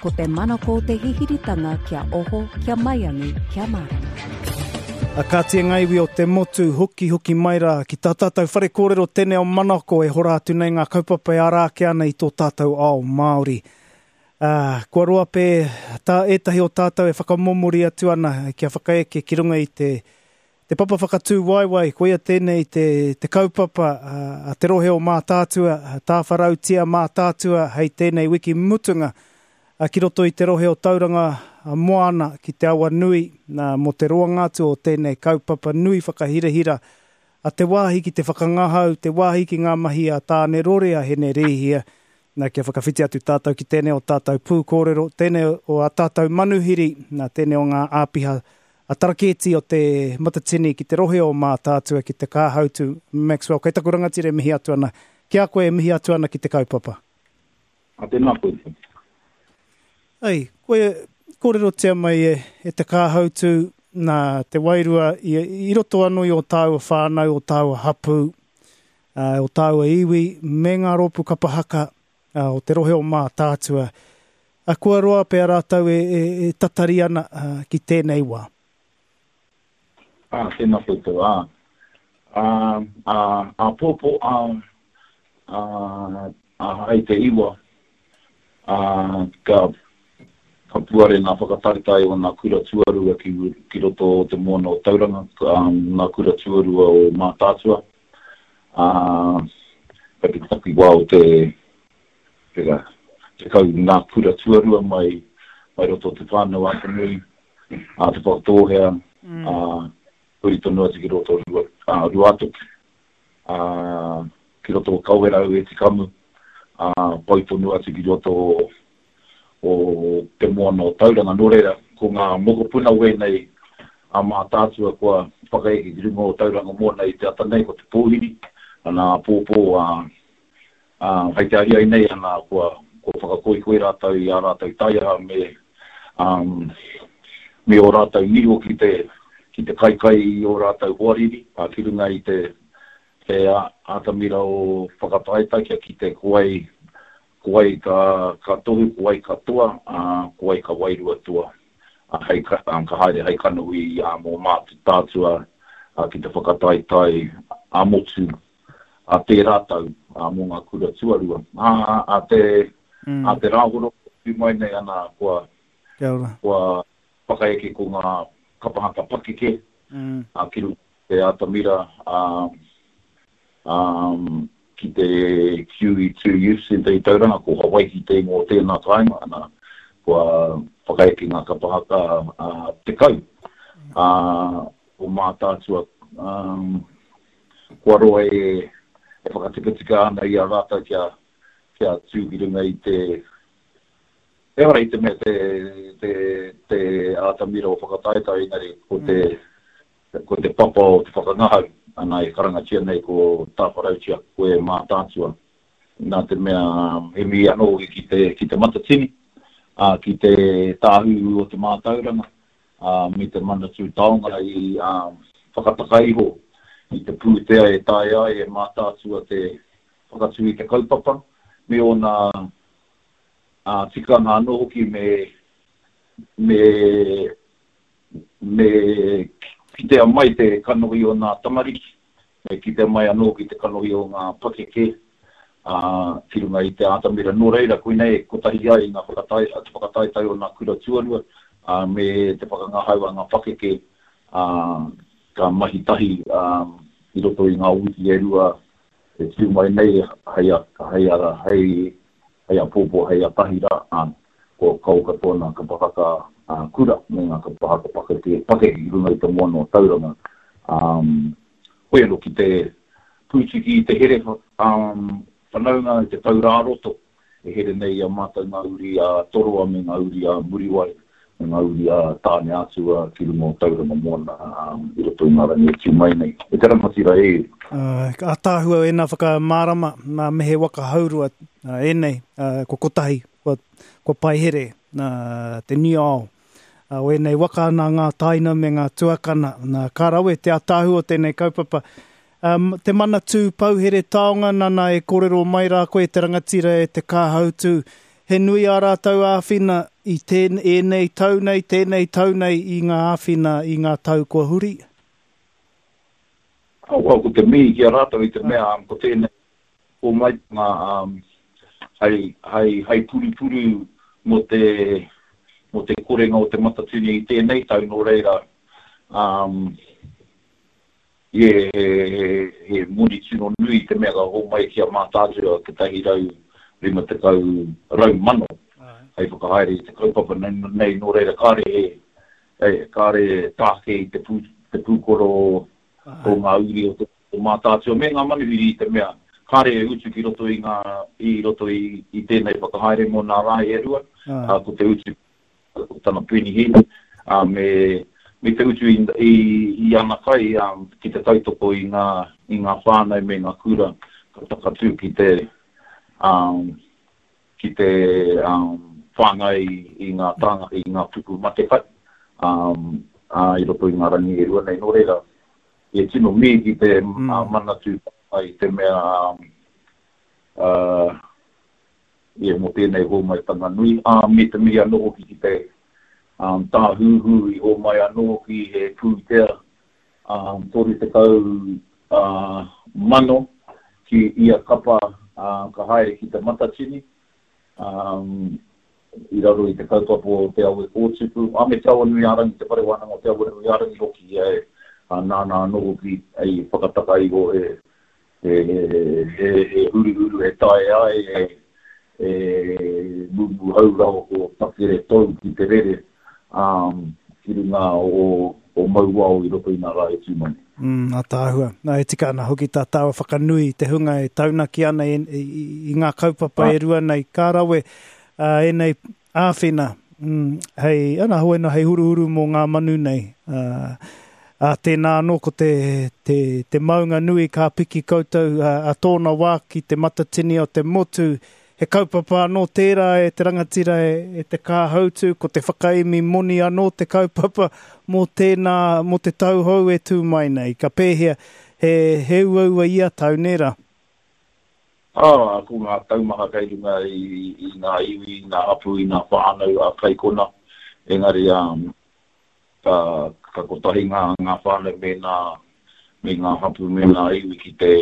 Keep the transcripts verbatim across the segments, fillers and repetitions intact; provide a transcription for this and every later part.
Ko te manako te hihiritanga kia oho, kia maiangi, kia mārama. A kāti e ngā iwi o te motu, hoki hoki mai rā ki tā tātou whare kōrero tēnei o Manako e hora atu nei ngā kaupapa e ara ake ana i tō tātou ao Māori. Uh, kua roa pē tā ētahi o tātou e whakamomori atu ana kia whakaeke ki runga i te, te papa whakatū waewae, koia tēnei te, te kaupapa uh, a te rohe o Mātaatua, tāwharautia Mātaatua hei tēnei wiki mutunga ki roto i te rohe o Tauranga Moana ki te awa nui nā, mō te roanga atu o tēnei kaupapa nui whakahirahira a te wāhi ki te whakangahau, te wāhi ki ngā mahi a Tāne Rore a Hene Rēhia, nā, kia whakawhiti atu tātou ki tēnei o tātou pūkōrero, tēnei o a tātou manuhiri, nā, tēnei o ngā āpiha a tarakēti o te Matatini ki te rohe o Mātaatua ki te Kāhautu Maxwell. Kei taku rangatira e mihi atu ana. Ki a koe e mihi atu ana ki te kaupapa. A tēnā koe. Ei, koe kōrerotia mai e, e te Kāhautu nā te wairua i, i roto anō i o tāua whānau, o tāua hapū, uh, o tāua iwi, me ngā rōpū kapa haka uh, o te rohe o Mātaatua. A kua roa pea rātou e, e, e tatari ana uh, ki tēnei wā. Ah, tēnā koutou, ā. Ā, ā, ā pōpō, ā, ā, ā, hai te iwa, ā, ka, ka puare ngā whakataetae o ngā kura tuarua ki, ki roto o te moana o Tauranga, ā, ngā kura tuarua o Mātaatua. Ā, kei te takiwā o te, te, tekau ngā kura tuarua mai, mai roto o te whānau a Te Nui, a Te Whakatōhea, mm. ā, huri tonu atu ki roto o Rua, Ruātoki, ā, ki roto o Kawerau e Tikamu, ā, pau tonu atu ki roto o, o te moana o Tauranga. Nō reira, ko ngā mokopuna wēnei a Mātaatua kua whakaeke ki runga o Tauranga Moana i te ata nei, ko te pōhiri, ana pōpō, ā, ā, hei te ariai nei, ana kua, kua whakakoikoi rātou i ā rātou taiaha me, um, me o rātou niho ki te, ki te kaikai i o rātou hoariri, ā, ki runga i te, te atamira o whakataetae kia kite ko wai, ko wai ka, ka tohu, ko wai ka toa, ā, ko wai ka wairua toa. Ā, hei ka, ā, ka haere hei kanohi ā, mō Mātaatua ā, ki te whakataetae ā motu a tērā tau ā, mō ngā kura tuarua. Ā, ā, te, mm. ā, te rāhoro tū mai nei ana kua, Kia ora. kua whakaeke ko ngā kapahaka pakeke, mm. ā, ki runga te atamira, ā, ā, ki te Q E two Youth Centre i Tauranga, ko Hawaiki te ingoa o tēnā kāinga, ana, kua whakaeke ngā kapahaka, ā, tekau, ā, o Mātaatua, ā, kua roa e, e whakatikatika ana i a rātou kia, kia tū ki runga i te, ehara i te mea te, te, te atamira o whakataetae, engari ko te, mm. ko te papa o te whakangahau, ana e karangatia nei ko Tāwharautia koe Mātaatua. Nā te mea he mihi anō ki te, ki te Matatini, ā, ki te tāhuhu o te mātauranga, ā, me te Manatū Taonga i ā, whakataka iho i te pūtea e taea ai e Mātaatua te whakatū i te kaupapa, me ōna ā, tikanga anō hoki me, me, me kitea mai te kanohi o ngā tamariki, me kitea mai anō ki te kanohi o ngā pakeke, ā, ki runga i te atamira. Nō reira, koinei kotahi ai ngā whakatae, te whakataetae o ngā kura tuarua, ā, me te whakangahau a ngā pakeke, ā, ka mahi tahi, ā, i roto i ngā wiki e rua e tū mai nei hei a, hei a, hei, hei a pōpō, hei a tahira, ā, ko kau katoa ngā kapahaka, ā, kura me ngā kapahaka pakeke, pakeke ki runga i te moana o Tauranga. Um, koe anō ki te pūtiki i te here, um, whanaunga i te taurāroto, e here nei i a mātou ngā uri a Toroa me ngā uri a Muriwai, me ngā uri a Tāne Atua ki runga o Tauranga Moana, um, i roto i ngā rangi e tū mai nei. E te rangatira e. Uh, ātaahua ēnā whakamārama, nā mehe waka haurua, uh, ēnei, uh, ko kotahi, kua, kua paihere, nā, te niao. Uh, o ēnei waka nā ngā taina me ngā tuakana, nā, ka rawe te ātaahua o tēnei kaupapa. Um, te Manatū Pouhere Taonga, nana e kōrero mai rā koe te rangatira e te Kāhautu. he nui ā rātou āwhina i tēn, ēnei tau nei, tēnei tau nei i ngā āwhina i ngā tau kua huri? Oh, well, ko te mihi ki a rātou i te mea, um, ko tēnei hōmaitanga um, hei, hei, hei purupuru mō te, mō te korenga o te Matatini i tēnei tau, nō reira, um, yeah, he, he, he moni tino nui te mea ka hōmai ki a Mātaatua kotahi rau rima tekau rau mano hei whakahaere i te kaupapa nei, nei nō reira kāre he, he, kāre tāke i te, pū, te pūkoro o ngā uri o te o Mātaatua me ngā manuhiri i te mea kāre e utu ki roto i ngā i roto i, i tēnei whakahaere mō nā rā e rua, uh, ko te utu ko tana penihīni, uh, me, me te utu i, i, i ana kai um, ki te tautoko i ngā, i ngā whānau me ngā kura ka takatū ki te um, ki te um, whāngai i ngā tāngata, i ngā puku matekai um, uh, i roto i ngā rangi e rua nei. Nō reira, e tino mihi ki te mm. uh, Manatū i te mea um, uh, yeah, mō tēnei hōmaitanga nui. Uh, me te mihi anō hoki ki te um, tāhuhu i hōmai anō hoki he pūtea um, toru tekau uh, mano ki ia kapa uh, ka haere ki te Matatini um, i raro i te kaupapa o Te Awe Kōtupu, a me Te Awanuiārangi, te whare wānanga o Te Awanuiārangi hoki e uh, nāna anō hoki ei whakataka iho e he, he, he, he huruhuru e tae ai, e, e mumu haurao ko takere tou ki te rere um, ki runga o, o Mauao i roto i ngā rā e tū mai. Mm, ātaahua. Nā, e tika ana hoki tā tāua whakanui i te hunga e taunaki ana i, i, i ngā kaupapa e rua nei. Ka rawe uh, ēnei āwhina, mm, hei, ana, hoena, hei huruhuru mō ngā manu nei. Uh, a tēnā anō ko te, te, te maunga nui ka piki koutou a, a tōna wā ki te Matatini o te motu. He kaupapa anō tērā e te rangatira e, e te kāhautu, ko te whakaemi moni anō te kaupapa mō tēnā, mō te tauhou e tū mai nei. Ka pēhea, he, he uaua ia tau, nē rā? Ah, ko ngā taumaha kei runga i, i ngā iwi, i ngā hapū, i ngā whānau a kaikona. Engari, um, ka, ka kotahi ngā, ngā whānau me ngā, me ngā hapū, me ngā iwi ki te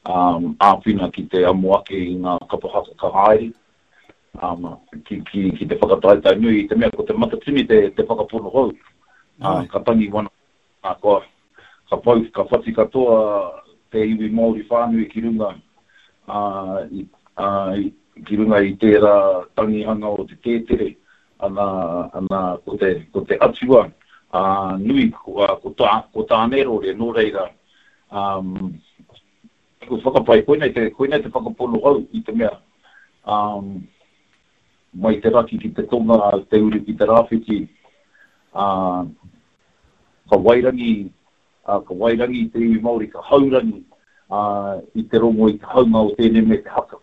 um, āwhina ki te amo ake i ngā kapa haka ka haere, um, ki, ki, ki te whakataetae nui i te mea ko te Matatini te, te whakapono hou. Uh, ka tangi wana, uh, ka, ka pau, ka whati katoa te iwi Māori whānui ki runga, uh, i, uh, i, ki runga i tērā tangihanga o te tētere, ana, ana ko te, ko te atua uh, nui, ko, uh, ko, tā, ko Tānerore, nō reira, um, ko whakapai, koinei te, koinei te whakapono hou i te mea, um, mai te raki ki te tonga, te uru ki te rāwhiti, uh, ka wairangi, uh, ka wairangi te iwi Māori, ka haurangi uh, i te rongo i te haunga o tēnei me te haka.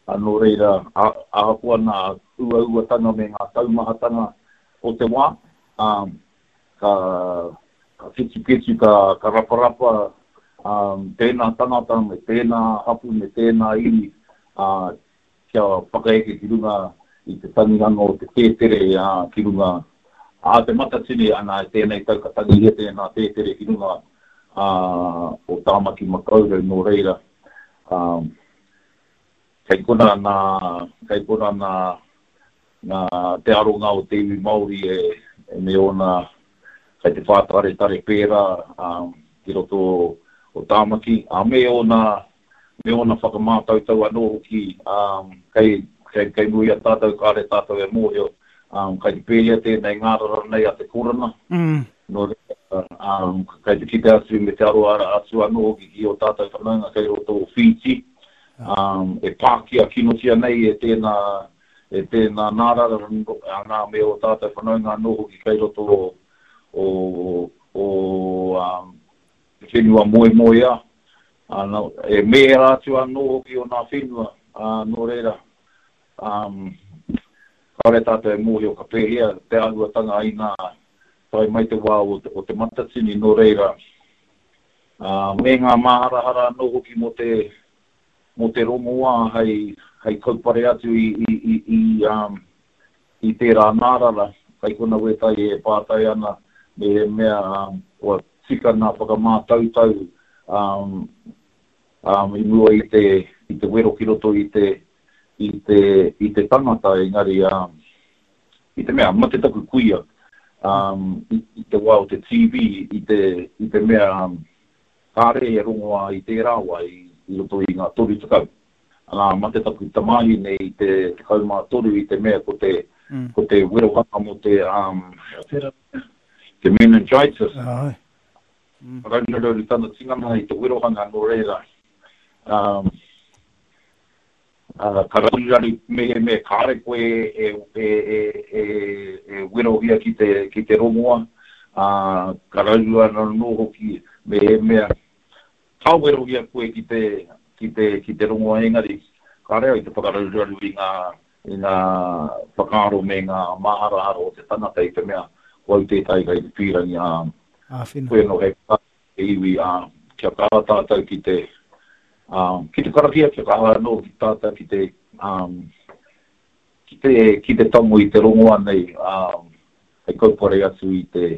Uh, nō reira, ahakoa nā uauatanga me ngā taumahatanga o te wā, um, ka, ka ketuketu, ka, ka raparapa um, tēnā tangata me tēnā hapu me tēnā iwi uh, kia whakaeke ki runga i te tangihanga o te tētere uh, ki runga a te Matatini, ana e tēnei tau ka tangihia tēnā tētere ki runga uh, o Tāmaki Makaurau, nō reira. Um, kei kona nā, kei kona nā, nā te aronga o te iwi Māori e, e me ōna kei te whātaretare pērā um, ki roto o Tāmaki, a me ōna, me ōna whakamātautau anō hoki um, kei, kei, kei mua i a tātou, kāre tātou e mōhio, um, kei te pēhea tēnei ngārara nei a te korona. Mm. Nō reira, um, kei te kite atu me te aro atu anō hoki ki o tātou whanaunga kei roto o Fiji, um, e pākia kinotia nei e tēnā, e tēnā nārara, nā me o tātou whanaunga anō hoki kei roto o, o, o um, te whenua moemoeā, uh, e mēra atu anō hoki o nā whenua, uh, nō reira, um, kāore tātou e mōhio ka pēhea te āhuatanga i nā tae mai te wā o te, o te Matatini, nō reira, uh, me ngā māharahara anō hoki mō te, mō te rongoā hei, hei kaupare atu i, i, i, i, um, i tērā ngārara, kai kona wētai e pātai ana, me he mea um, kua tika ngā whakamātautau um, um, i mua i te, i te wero ki roto i te, i te, i te tangata, engari um, i te mea, mate taku kuia, um, i, i te wā o te T B, i te, i te mea um, kāre e rongoa i tērā wā i, i roto i ngā toru tekau. Anā, mate taku tamāhine i te tekau mā toru i te mea ko te, mm. ko te werohanga mō te, um, te meningitis. Ai. Mm. Raurarauru tana tinana i te werohanga nō reira. Um, uh, ka raruraru mehemea kāre koe e, e, e, e, e werohia ki te, ki te rongoa, uh, ka raruraru anō hoki mehemea ka werohia koe ki te, ki te, ki te rongoa engari, kāre au i te whakararuraru i ngā, i ngā whakaaro me ngā maharahara o te tangata i te mea, ko au tētahi kai te pīrangi, ā, Āwhina. Koe anō hei te iwi, ā, kia kaha tātou ki te, ā, ki te karakia, kia kaha anō ki tātou ki te, um, ki te, ki te tango i te rongoa nei, ā, hei kaupare atu i te,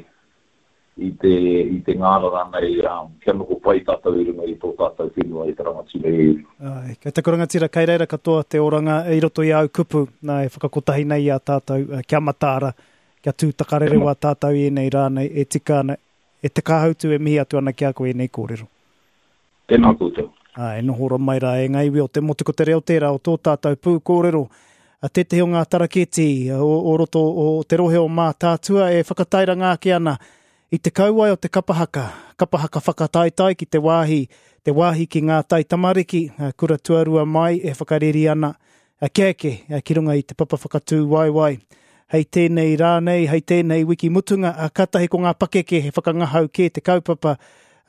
i te, i te ngārara nei, ā, kia noho pai tātou i runga i tō tātou whenua i te rangatira e iwi. Ai, kei taku rangatira, kei reira katoa te oranga i roto i au kupu, nā, e whakakotahi nei i a tātou, kia mataara, kia tū takarerewa tātou i ēnei rā nei, e tika ana, e te kāhautu e mihi atu ana ki a koe ēnei kōrero. Tēnā koutou. Ai, noho ora mai rā e ngā iwi o te motu ko te reo tērā o tō tātou pū kōrero. A tētehi o ngā taraketi o, o roto o te rohe o Mātaatua e whakatairanga ake ana i te kauae o te kapahaka, kapahaka whakataetae ki te wāhi, te wāhi ki ngā tai tamariki, kura tuarua mai e whakareri ana, a kia eke, ki runga i te papa whakatū waiwai. Hei tēnei rā nei, hei tēnei wiki mutunga, a katahi ko ngā pakeke he whakangahau kē te kaupapa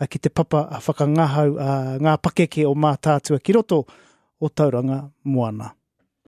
a ki te papa a whakangahau a ngā pakeke o Mātaatua ki roto o Tauranga Moana.